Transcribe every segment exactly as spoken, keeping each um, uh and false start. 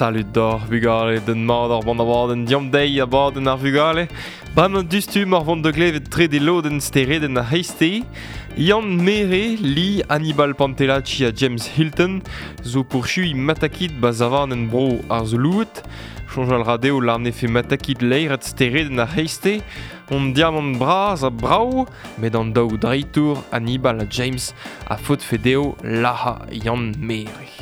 Salut d'or vugale den mat ar band abadenn diam deiz abadenn ar vugale. Bremañ dustum ar vont da glevet trede lodenn steredenn ar c'hreisteiz. Yann Mere, Lee, Hannibal Pantelacci ha James Hilton zo pourchui matakit ba savanenn bro ar Zoulouet. Soñjal ra dezho lar nefe matakit leiret steredenn ar c'hreisteiz. On diamant bras ha brav, met an daou dreitour Hannibal ha James a faotfe dezho lazhañ Yann Mere.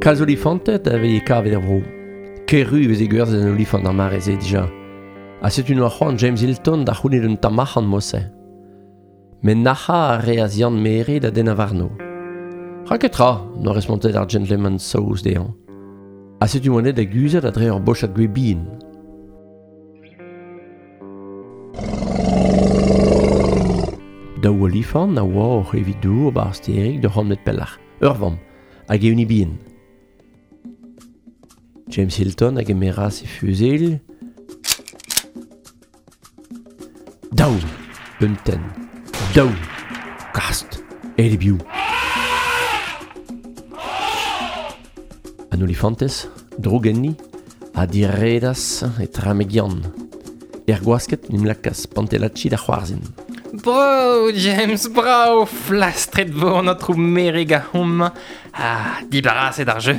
Kalz olifanted a veze kavet er vro. Ker-ru veze gwerzhet an olifant ar mare-se dija. Ha setu noa c'hoant James Hilton da c'hounit un tamm arc'hant mod-se. Met nac'hañ a reas Yann Mere da dennañ warno. Ra ket tra, n'oa respontet ar gentleman saoz dezhañ. Ha setu oa da guzhat a-dre ur bochad gwez bihan. Daou olifant a oa oc'h eviñ dour 'ba ar stêrig d'ur c'hant metr pelloc'h. Ur vamm, hag e-unan bihan. James Hilton a gemeras e fuzel. Daou, un tenn. Daou, kast, aet e-biou. An olifantez, droug enni, a diredas etrame Yann. Er gwasked n'em lakaas Pantelacci da c'hoarzhin. Bravo, James, bravo, flastret vo an aotrou Mere ganeomp. Ah, dibaraset ar jeu.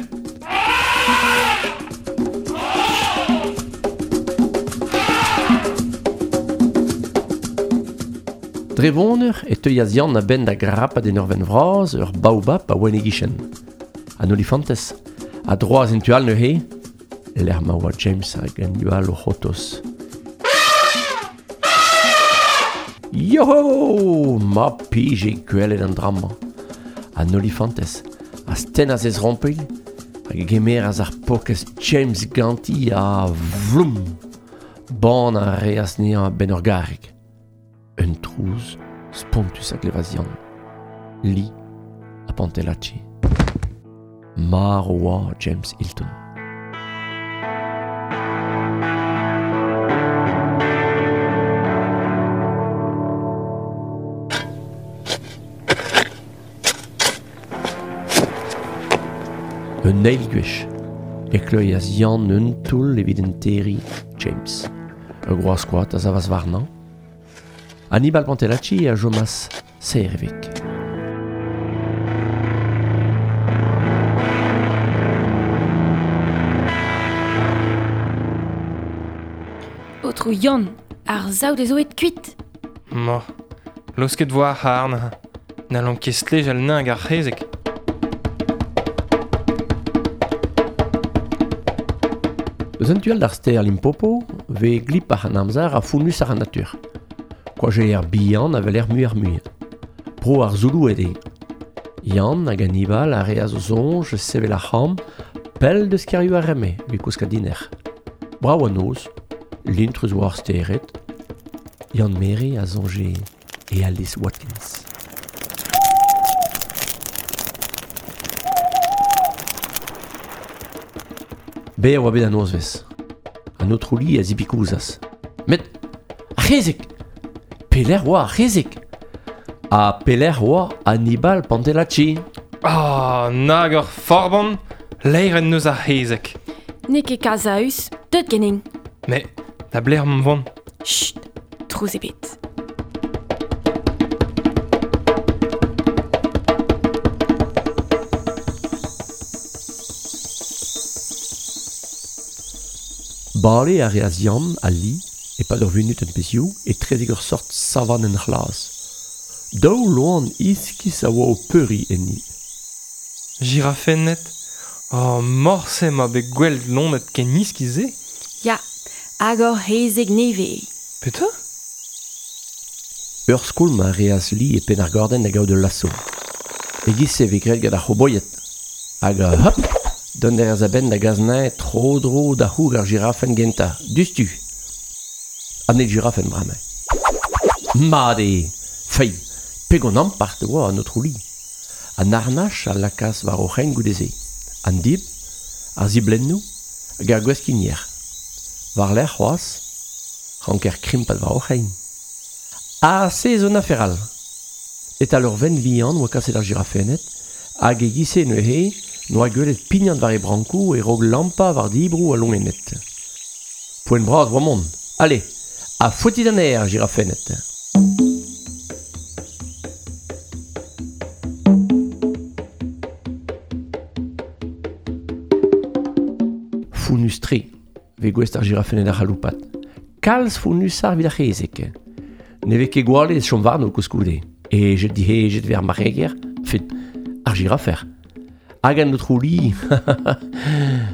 Dre voneur e teuas Yann a-benn da grapat en ur vent vras ur baobab a oa en e gichen. An olifantez a droas en tu all neuze, lec'h ma oa James hag Hannibal o c'hortoz. Yo! Ma pije gwelet an dra-mañ. An olifantez a stennas e zrompilh hag e gemeras ar pokez James ganti ha vloum! Ban a reas anezhañ a-benn ur garreg. Un trouz spontus a glevas Yann. Lee ha Pantelacci. Marv oa James Hilton. Un eil gwech e kleuias Yann un toull evit enterriñ James. Ur groaz koad a savas warnañ. Hannibal Pantelacci a chomas serr e veg. Aotrou Yann, ar saout ez oet kuit. Ma, laosket vo ar c'harn. N'hallomp ket stlejal neñv ar c'hezeg. Eus an tu all d'ar stêr Limpopo vez glip ar an amzer ha founnus ar an natur. Koajer bihan a weler mui ar mui. Bro ar Zouloued eo. Yann hag Hannibal a reas o soñj sevel ar c'hamp pell deus kêrioù ar Reme evit kouskat dinec'h. Brav an noz, lintrus oa ar stered. Yann Mere a soñje e Alice Watkins. Berr oa bet an nozvezh. An aotrou Lee a zibikouzas. Met ar c'hezeg! Pelec'h oa ar c'hezeg? Ha pelec'h oa Hannibal Pantelacci? Ah, nag ur forban, laeret neus ar c'hezeg. N'eo ket kasaus, deut ganin. Mais, da blec'h emañ vont? Chut, trouz ebet. Bale a reas Yann ha Lee e-pad ur vunut en pezhioù etrezek ur sort savanenn c'hlas. Daou loen iskis a oa o peuriñ enni. Jirafenned. Oh, morse ma bet gwellt loened ken iskis-se. Ya, hag ur c'hezeg nevez. Petra? Ur skoulm a reas Lee e penn ar gordenn da gaout ul laso. E-giz-se e vez graet gant ar c'hoboied. Hag hop, Dont er a benn da gaznae tro-dro da c'houg ar jirafen genta, dustu. An e jirafen brame. Mat eo, fei, pegon ampart oa an aotrou Li. An arnach a lakaas war o c'hein goude-se. An dib, ar ziblennoù hag ar gweskinier. War lerc'h c'hoazh, ranker krimpat war o c'hein. Ha se zo un afer all. E-tal ur venn vihan oa kaset ar jirafenned, hag e giz-se neuze n'oa gwelet pignat war e brankoù e raok lampañ war dibroù a loened. Poent bras oa mont. Allez, ha fouetit an aer, jirafenned. Founnus-tre, vez gouest ar jirafenned ar c'haloupat. Kalz founnusar evit ar c'hezeg. Ne vez ket gwallet chom warno koulskoude. Hejet dihejet vez ar marc'heger, fet ar jirafer. Hag an aotrou Li,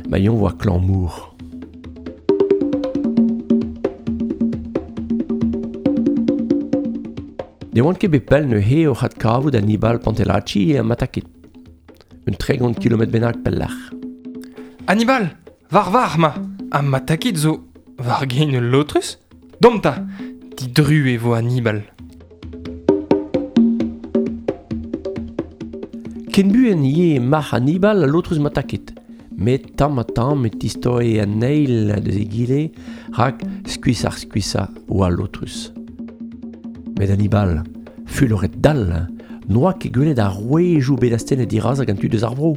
ma yon oa klañv-mour. Ne oant ket bet pell neuze oc'h adkavout Hannibal Pantelacci e Matakit. Un tregont kilometr bennak pelloc'h. Hannibal, war var ma, ha Matakit zo war gein ul lotrus? Domp 'ta, didru e vo Hannibal. Ken buan ivez marc'h Hannibal ha lotrus Matakit. Met tamm ha tamm e tistoe an eil deus egile rak skuizh-ar skuizhañ oa lotrus. Met Hannibal, fuloret dall, n'oa ket gwelet ar rouejoù bet astennet dirazañ gant tud eus ar vro.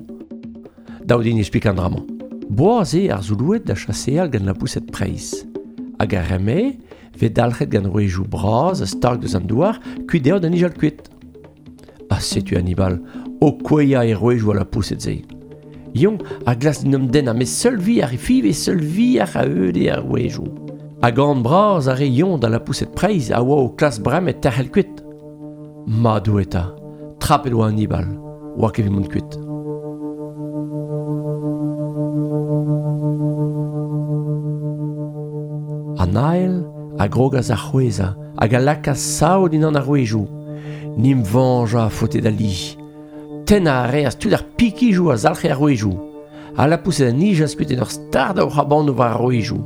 Dav din explikañ an dra-mañ. Boaz eo ar Zouloued da chaseal gant lapoused preizh. Hag ar re-mañ vez dalc'het gant rouejoù bras stag deus an douar kuit dezho da nijal kuit. Ha setu Hannibal o kouezhañ e rouejoù a lapoused-se. Yon a glask d'en em dennañ, met seul vi ar five seul vi ar a-eude ar rouejoù. Hag an bras a re yon da lapoused preizh a oa o klas bremañ e terc'hel kuit. Ma Doue eta, trapet oa Hannibal, oa ket evit mont kuit. An ael a grogas ar c'hwezhañ hag a lakaas sav dindan ar rouejoù. Nim vañjañ a faote da Li. Tennañ a reas tout ar pikijoù a zalc'he ar rouejoù. Ha lapoused a nijas kuit en ur stardañ o c'hrabanoù war ar rouejoù.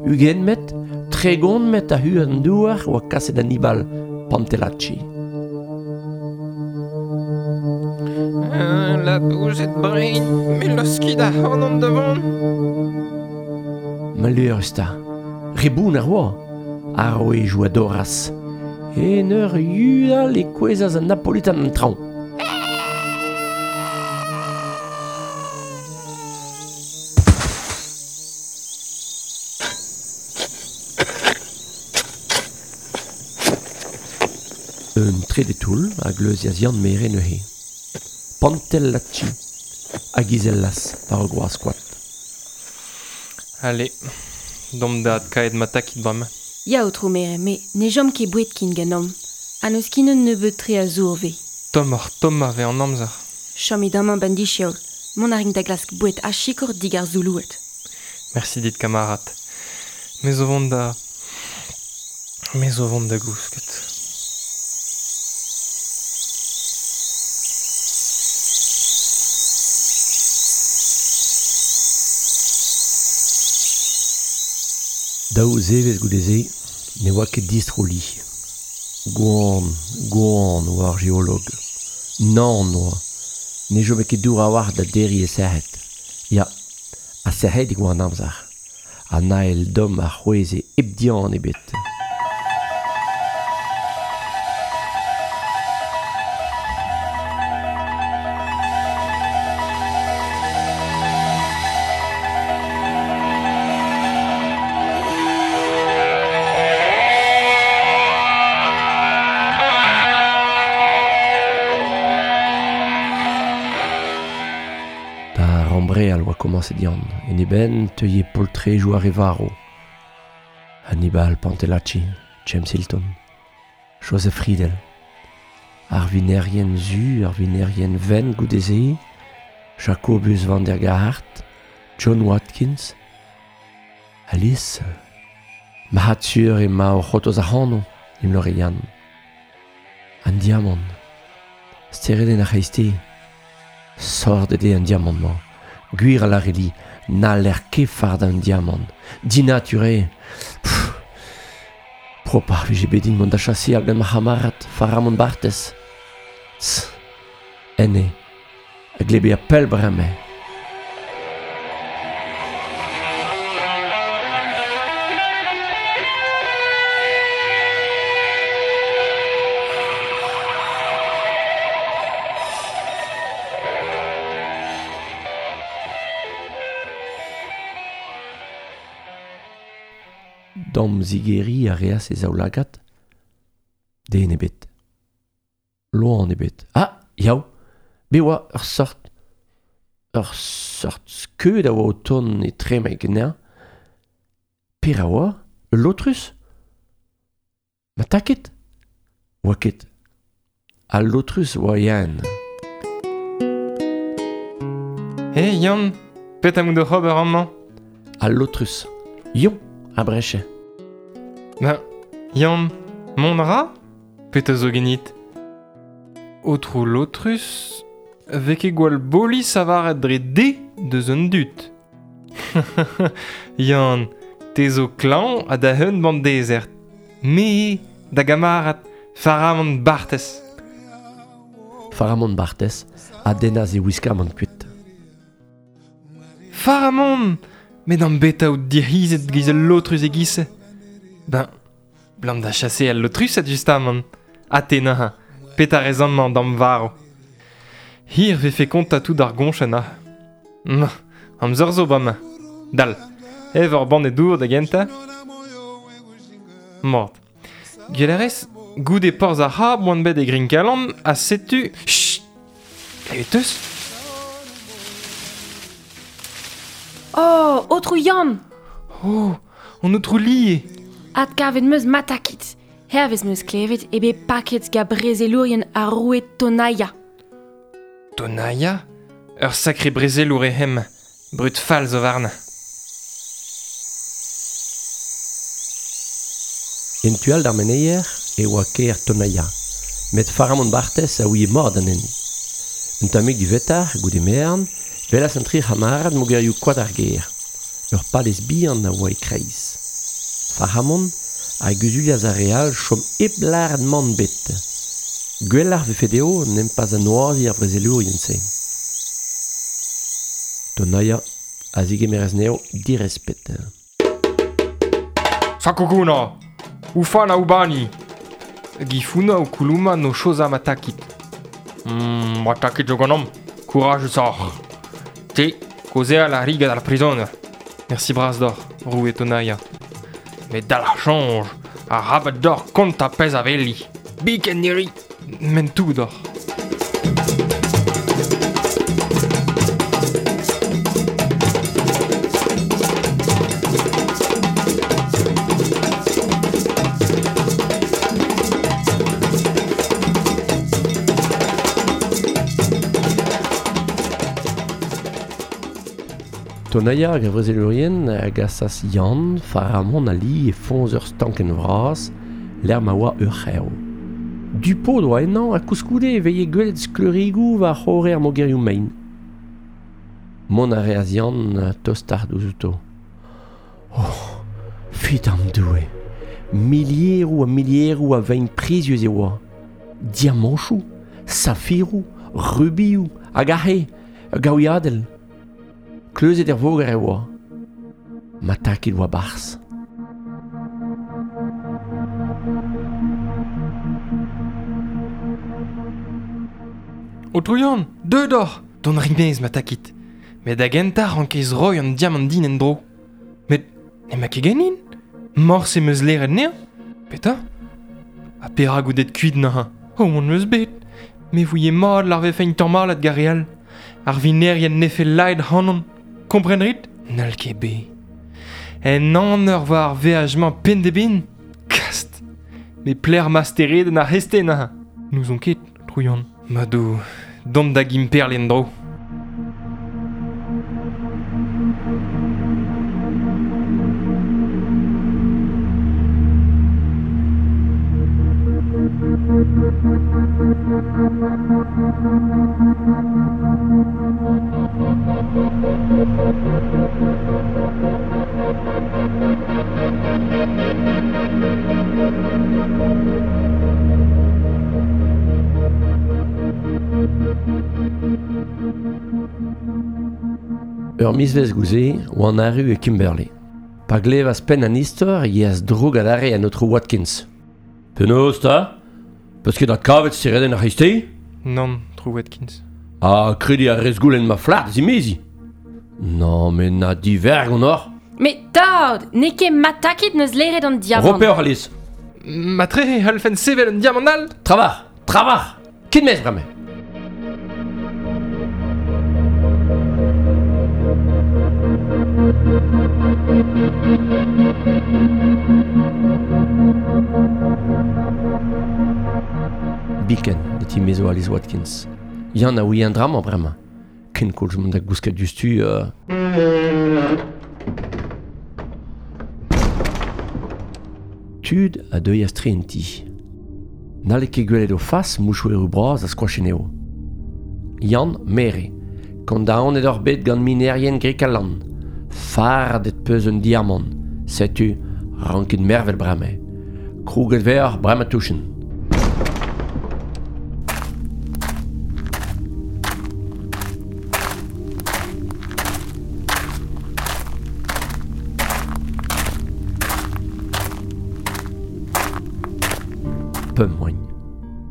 Ugent metr, tregont metr a-hu an douar oa kaset Hannibal Pantelacci. Lapoused brein, me laoskit ac'hanon da vont. Maleürus 'ta, reboun ar oa, ar rouejoù a dorras. En ur yudal e kouezhas an Napolitan an traoñ. Un trede toull a gleuzias Yann Mere neuze. Pantelacci hag izellas war ur groaz koad. Allez, domp da adkaet Matakit bremañ. Ya, aotrou Mere, me ne chom ket boued kin ganeomp. Ha n'eus ket un nebeud tre a zour vez. Tommoc'h tommañ vez an amzer. Chom amañ 'benn disheol. Mont a rin da glask boued ha sikour dig ar Zouloued. Merci dit, kamarad. Me zo vont da... Me zo vont da gousket. Daou zevezh goude-se ne oa ket distro Li. Gwan, gwan oa ar geolog. Nann oa. Ne chome ket dour a-walc'h da derriñ e sec'hed. Ya, ha sec'hedik oa an amzer. An ael domm a c'hwezhe hep dihan ebet. Rambreal oa komañset Yann, en e benn teuie poltrejoù ar re varv. Hannibal Pantelacci, James Hilton, Joseph Friedel. Ar vinerien zu, ar vinerien wenn goude-se, Jacobus van der Gaart, John Watkins, Alice, Mahatsur ema o c'hotoz ac'hano, imlore Yann. An diamant, steredenn ar c'hreisteiz. Sordet eo an diamant-mañ. Gwir a lareli, n'haller ket fard an diamant. Dinature. Pff. Propar vije bet din mont da chaseal gant ma c'hamarad, Faramon Barthes. Tss. Enne, a glebe a pell bremañ. Dam zigeri a reas e zaoulagad, den ebet. Loan ebet. Ah, yaou, be oa ur sort, ur sort skeud a oa o tont e trema ganeañ. Per a oa, ul lotrus? Ma taket? Oa ket. Al lotrus oa Yann. Hey Yann, pet am out oc'h ober amañ? Al lotrus. Yon, a breche. Ben, Yann, mont a ra? Petra zo genit? Otrou lotrus, vez ket gwall bolis avaret dre de deus un dud. Yann, te zo klañv ha da hun bant dezert. Me, da gamarad, Faramon Barthes. Faramon Barthes a dennas e wiskamant kuit. Faramon! Met an beta out dic'hizet giz al lotrus e giz. Ben, blam da chase al lotrus justamant. Ha te neuze, pet a rez amañ d'am varv. Hir vefe kont a tout ar goñchenn ha. Ma, amzer zo bremañ. Dal, ev ur banne dour da gentañ. Mort. Gwell a rez, goude porzh ar c'hab oan bet e Grinkalan, ha setu... Chut! Klevet eus? Oh, otrou Yann! Oh, an otrou Lie! Adkavet meus matakit. Hervez meus klevet e bet paket ga brezelourien ar roue Tonaia. Tonaia? Ur sakre brezelour eo hem, brud fall zo warnañ. En tu all d'ar meneier e oa kêr Tonaia, met Faramon Barthes a ouie mat anezhi. Un tammig divetar, goude merenn, velas an tri c'hamarad mogerioù koad ar gêr. Ur palez bihan a oa e-kreiz. Faramon a guzulias ar re all chom hep lâret mann bet. Gwelloc'h vefe dezho n'em pas anoaziñ ar brezelourien-se. Tonaia a zegemeras anezho direspet. Sakokuna! Ufana ubani! Gifuna o kuluma no choza matakit. Mm, matakit zo ganeomp. Courage soc'h. Te, kaozeal a ri gant ar prizoner. Merci bras d'or, roue Tonaia. Met dal ar soñj, ar rabat d'or kont a pezh a veli. Biken niri, men tout d'or. Tonaia hag ar vrezelourien a gasas Yann, Faramon a li e foñs ur stankenn vras, lec'h ma oa ur c'hev. Du-pod oa ennañ ha koulskoude e veie gwelet skleurigoù war c'horre ar mogerioù mein. Mont a reas Yann tostoc'h ouzh outo. Oh, fidam Doue! Milieroù ha milieroù a vein prizius e oa. Diamanchoù, safiroù, rubioù, hag aze, ur gaouiadell. Kleuzet er voger e oa. Matakit oa barzh. Otrou Yann, deuet oc'h! Dont a rin-maez, matakit. Met da gentañ rankez roiñ an diamant din en-dro. Met n'emañ ket ganin? Morse em eus leret anezhañ? Petra? Ha perak out aet kuit neuze? Oh, on eus bet. Me vouie mat lar vefe un tamalad gant re all. Ar vinerien nefe laet ac'hanon. Kompren rit? N'hall ket bet. En aner war ar veaj-mañ penn-da-benn? Kast! Me pler ma steredenn ar c'heste neuze. N'ouzon ket, Otrou Yann. Madou, dont da Gimperle en-dro. Ur mizvez gouze oan arru e Kimberley. Pa glevas penn an istor e az droug adarre an aotrou Watkins. Penaos ta? Peus ket at kavet steredenn ar c'hreisteiz? Nann, trou Watkins. Ha kredi ar rez goulenn ma flad zimezi. Non, met na divergont oc'h. Met tad, n'eo ket matakit neus leret an diamant. Ro peoc'h, Alice. Matre e c'hallfen sevel un diamant all? Travar, travar, ket mez bremañ. Biken, de ti mezo Alice Watkins. Yann a ouie an dramañ bremañ. Ken koulz mont da gousket diouzhtu... Euh... Tud a deuias tre en ti. N'halle ket gwelet o fas mouchoueroù bras a skoacheneo. Yann Mere, kondaonet ur bet gant minerien Grekalan. Fardet peus un diamant. Setu ranket mervel bremañ. Krouget ver bremañ touchen. Pemp moagn.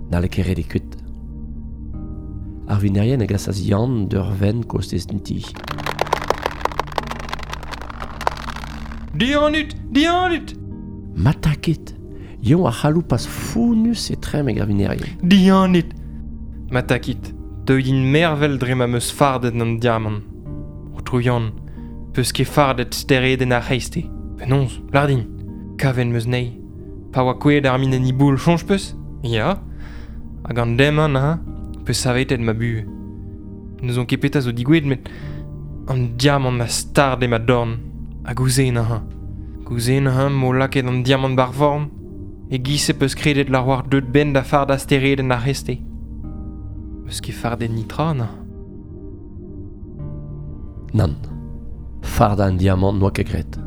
N'halle ket ret e kuit. Ar vinerien a gasas Yann d'ur venn kostez d'an ti. Dianut! Dianut! Matakit! Yann a c'haloupas founus e trem hag ar vinerien. Dianut! Matakit, deuit din mervel dre ma meus fardet an diamant. Aotrou Yann, peus ket fardet steredenn ar c'hreisteiz. Penaos, lar din, kaven meus nei. Pa oa kouezhet ar min en iboul, soñj peus? Ya. Hag an demañ ha, peus savetet ma buhez. N'eus on ket petra zo digouezhet, met an diamant a stard e ma dorn. Ha gouzen ha. Gouzen ha m'o lakaet an diamant bar vorn. E giz e peus kredet la war deut ben da fardañ steredenn ar c'hreisteiz. Peus ket fardet nitra, na? Nann. Fardañ an diamant n'oa ket graet.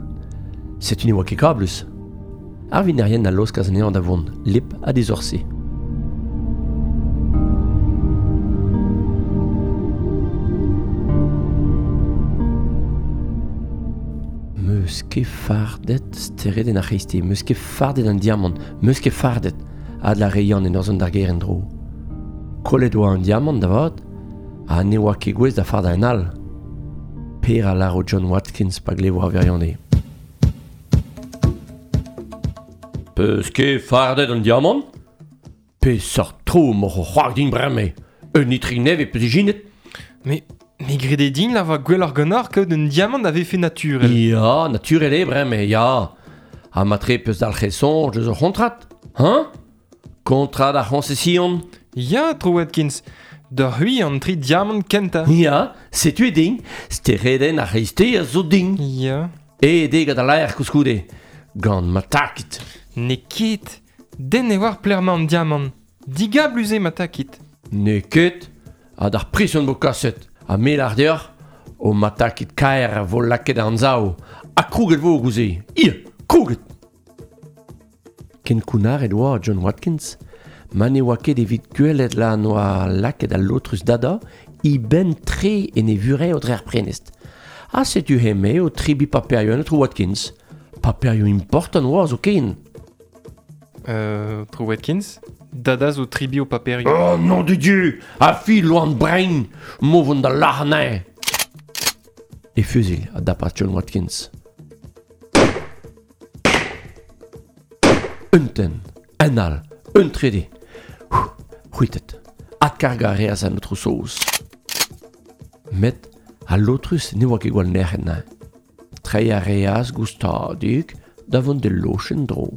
Setu ne oa ket kablus. Ar vinerien a laoskas anezhañ da vont, lip ha dizorse. Meus ket fardet steredenn ar c'hreisteiz, meus ket fardet an diamant, meus ket fardet, a la re Yann en ur zont d'ar gêr en-dro. Kollet oa an diamant da vat, ha ne oa ket gouest da fardañ un all. Per a lâro John Watkins pa glevo ar wirionez. Peus ket fardet an diamant? Peseurt tro m'oc'h o c'hoar din bremañ. Un itrik nevez peus ijinet? Mais, mais grede din la va gwelloc'h ganeoc'h kaout un diamant a vefe naturel. Ya, naturel eo bremañ, ya. Ha matre peus dalc'het soñj eus ur c'hontrat, hein? Kontrad ar c'hoñsesion. Ya, Trou Watkins, d'ur c'hwi an tri diamant kentañ. Ya, setu e din. Steredenn ar c'hreisteiz a zo din. Ya. E degad a laer koulskoude. Gant ma takit. N'eo ket. Den e oar plec'h emañ an diamant. Digablus eo ma takit. N'eo ket. Ha d'ar prison vo kaset. Ha me lar deoc'h, o ma takit kaer a vo lakaet an anzav. Ha krouget vo gouze. Ia, krouget! Ken kounnaret oa John Watkins, ma ne oa ket evit gwelet la noa lakaet al lotrus dada, i ben tre en e vurev dre ar prenest. Ha setu heme o tribi paperioù an aotrou Watkins. Paperioù important oa zo ken. Euh, Trou Watkins, dada zo tribi o paperioù. Oh non de Dieu! A fi loan brein! Mo vont da lac'h E fusil a dapas John Watkins. Un tenn, un all, un trede. C'hwitet, adkargañ a reas an aotrou Saoz. Met al lotrus ne oa ket gwall nec'het neuze. Treiñ a reas goustadik da vont d'e lochenn dro.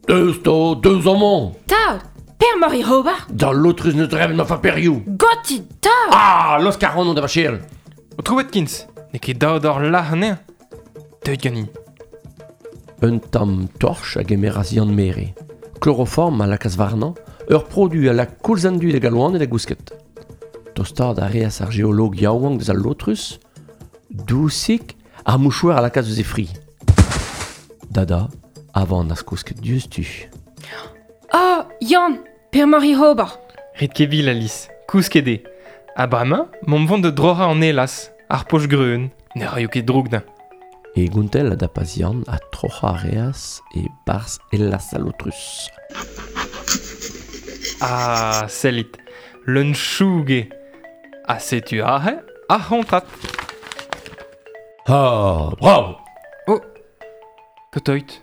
Deus to, deus amañ! Tad, per mor e ober? Da lotrus neus drevet ma faperioù! Gotit, tad! Ah, laosk ar c'hanon da vachel! Aotrou Watkins, n'eo ket dav d'hor lac'h anezhañ. Deuit ganin. Un tamm torch a gemeras Yann Mere. Chloroform a lakaas warnañ, Ur produ a la koulz an dud hag al loaned a gousket. Tostad a reas ar geolog yaouank deus al lotrus, dousik ar mouchouer a lakaas eus e fri. Dada, avant az kousket diouzhtu. Oh, Yann, per mari ober. Ret ket vil, Alice, kousket eo. Ha bremañ, m'omp vont da droc'hañ an elaz, ar poch greun, ne raio ket droug da. E gontell a dapas Yann ha troc'hañ a reas e barzh elaz al lotrus. Ah, sellit, leun choug eo. Ha setu aze ar c'hontrat. Ah, bravo! Oh, Kotoit,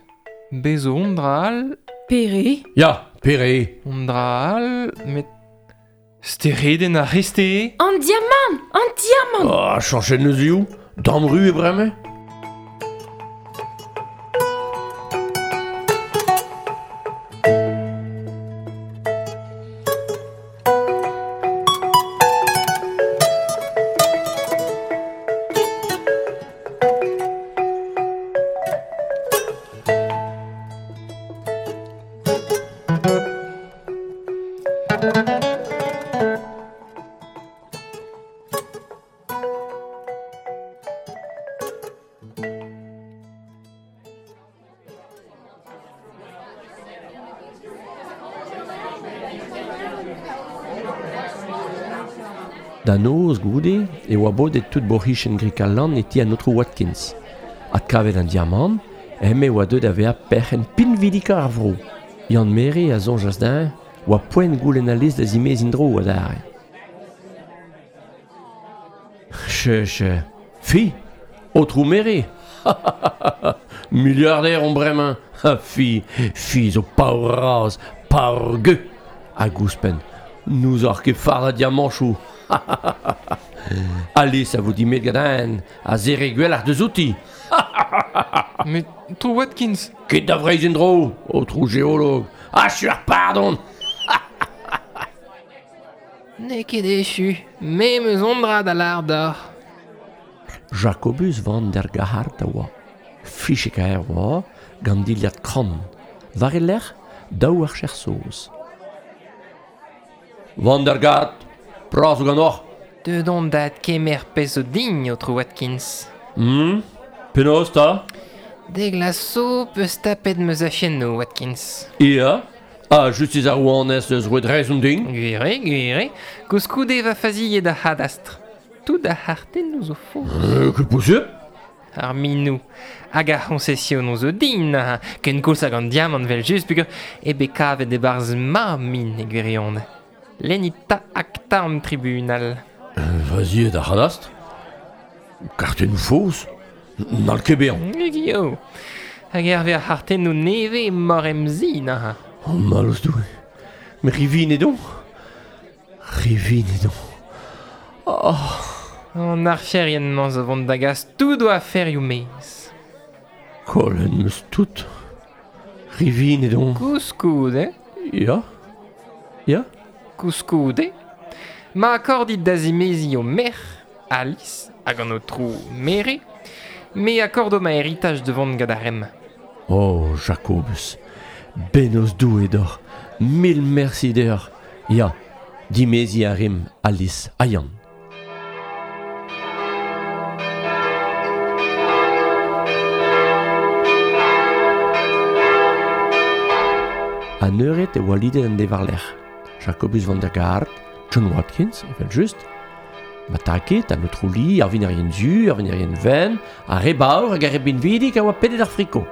bez zo on dra all... Pere? Ya, pere. On dra all, met... Steredenn ar c'hreisteiz? An diamant! An diamant! Ah, chañchet neuzioù, damru e bremañ. Da noz goude e oa bodet tout bourc'hijenn Grikalan e ti an aotrou Watkins. Adkavet an diamant, eme oa deuet da vezañ perc'henn pinvidikañ ar vro. Yann Mere a soñjas dezhañ oa poent goulenn Alice da zimeziñ dro adarre. Che, che, fi, aotrou Mere. Milliardaire on bremañ. Ha fi, fi zo paour-razh, paour-gueux. Hag ouzhpenn, n'ouzoc'h ket fardañ diamanchoù. Alice a vo dimet gant a zere gwelloc'h deus outi. Met aotrou Watkins. Ket da Vreizh en-dro, aotrou geolog. Achu ar pardon. N'eo ket echu, me 'm eus on dra da lâr deoc'h. Jacobus van der Gahart a oa. Fichek aer oa, gant dilhad krann. War e lerc'h, daou archer saoz. Van der Gahart, pras zo ganeoc'h. Deut on da adkemer pezh zo din, aotrou Watkins. Hmm, penaos 'ta? Dek la so peus tapet ma zachennoù, Watkins. Ya, ha justis ar rouanez eus roet rezon din. Gwir eo, gwir eo. Koulskoude va faziet ar c'hadastr. Tout ar c'hartennoù zo faos. Euh, ket posupl. Ar minoù hag ar c'hoñsesionoù zo din, ken koulz hag an diamant vel just peogwir eo bet kavet e-barzh ma min e gwirionez. Lennit 'ta akta an tribunal. Faziet ar c'hadastr. Kartennoù faos. N'hall ket bezañ. Gio. Hag hervez ar c'hartennoù nevez emañ em zi neuze. Oh, mallozh Doue. Mais rivinet on. Rivinet on. Oh. An archerien-mañ zo vont da gas tout o aferioù maez. Kollet 'm eus tout. Rivinet on. Koulskoude. Ya. Ya. Koulskoude. Ma akordit da zimeziñ ho merc'h, Alice, hag an aotrou Mere, me akordo ma heritage da vont gant ar remm. Oh, Jacobus, bennozh Doue deoc'h, mil mersi deoc'h. Ya, dimeziñ a rimp Alice ha Yann. An eured e oa lidet an deiz war-lerc'h. Jacobus van der Gaart, John Watkins, evel just, Mataket, an aotrou Lee, ar vinerien zu, ar vinerien ven, ar re baour hag ar re binvidik a oa pedet ar friko.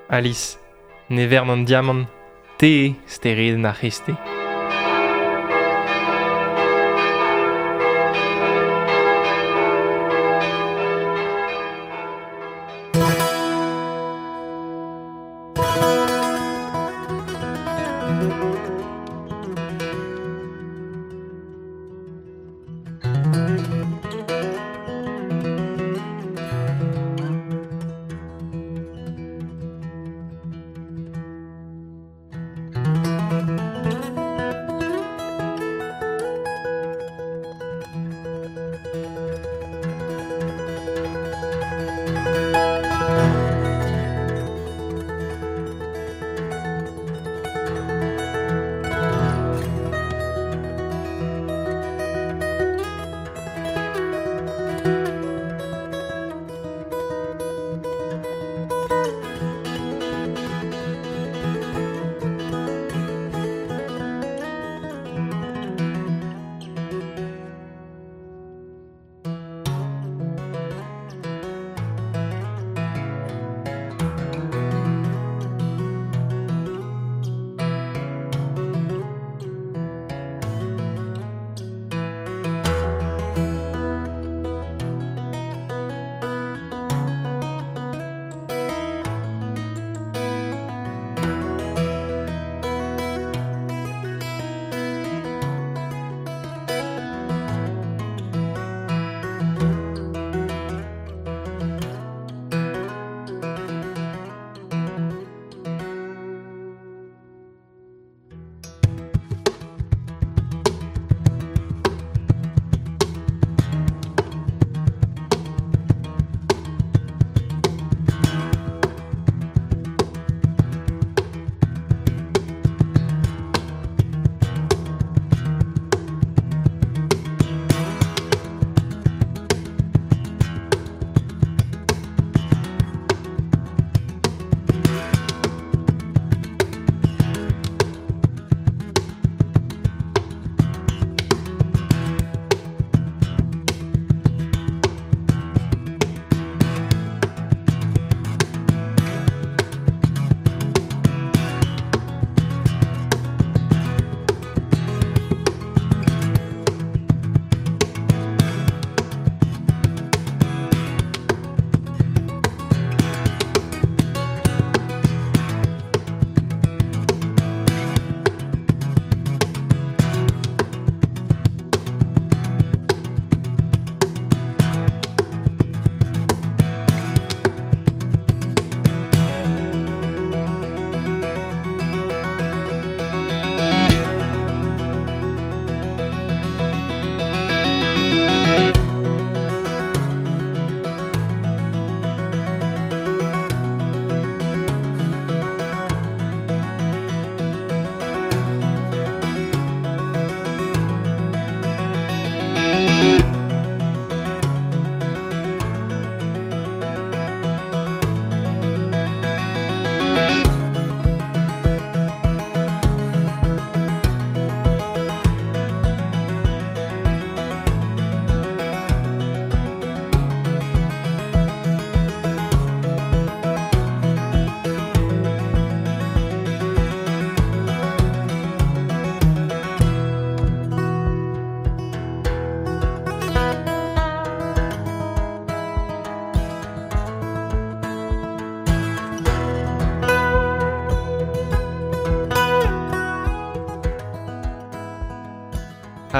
Alice, ne vern an diamant, te eo steredenn ar c'hreisteiz. Thank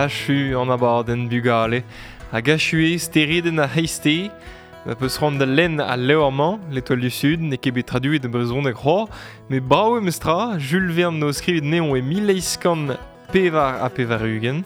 Achu an abadenn bugale. Hag achu eo steredenn ar c'hreisteiz. Ma peus c'hoant da lenn al levr-mañ, L'Étoile du Sud, n'eo ket bet traduet e brezhoneg c'hoazh, met brav eo memestra, Jules Verne n'o skrivet anezhañ e mil eizh kant pevar ha pevar-ugent.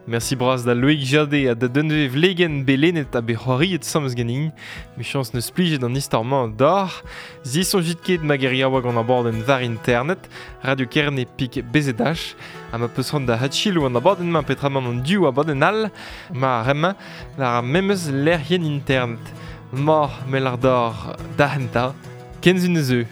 Merci bras da Loïc Jadé ha da Dunve Vlegen belenet ha bet c'hoariet asambles ganin. Michañs neus plijet an istor-mañ deoc'h. Zisoñjit ket ma geriaoueg gant abadenn war internet, Radio Kerne pik B Z H, ha ma peus c'hoant da hadchilou an abadenn-mañ peotramant an div abadenn all, ma remañ war ar memes lec'hienn internet. Ma, melar d'or da henta, kenzun eus eu.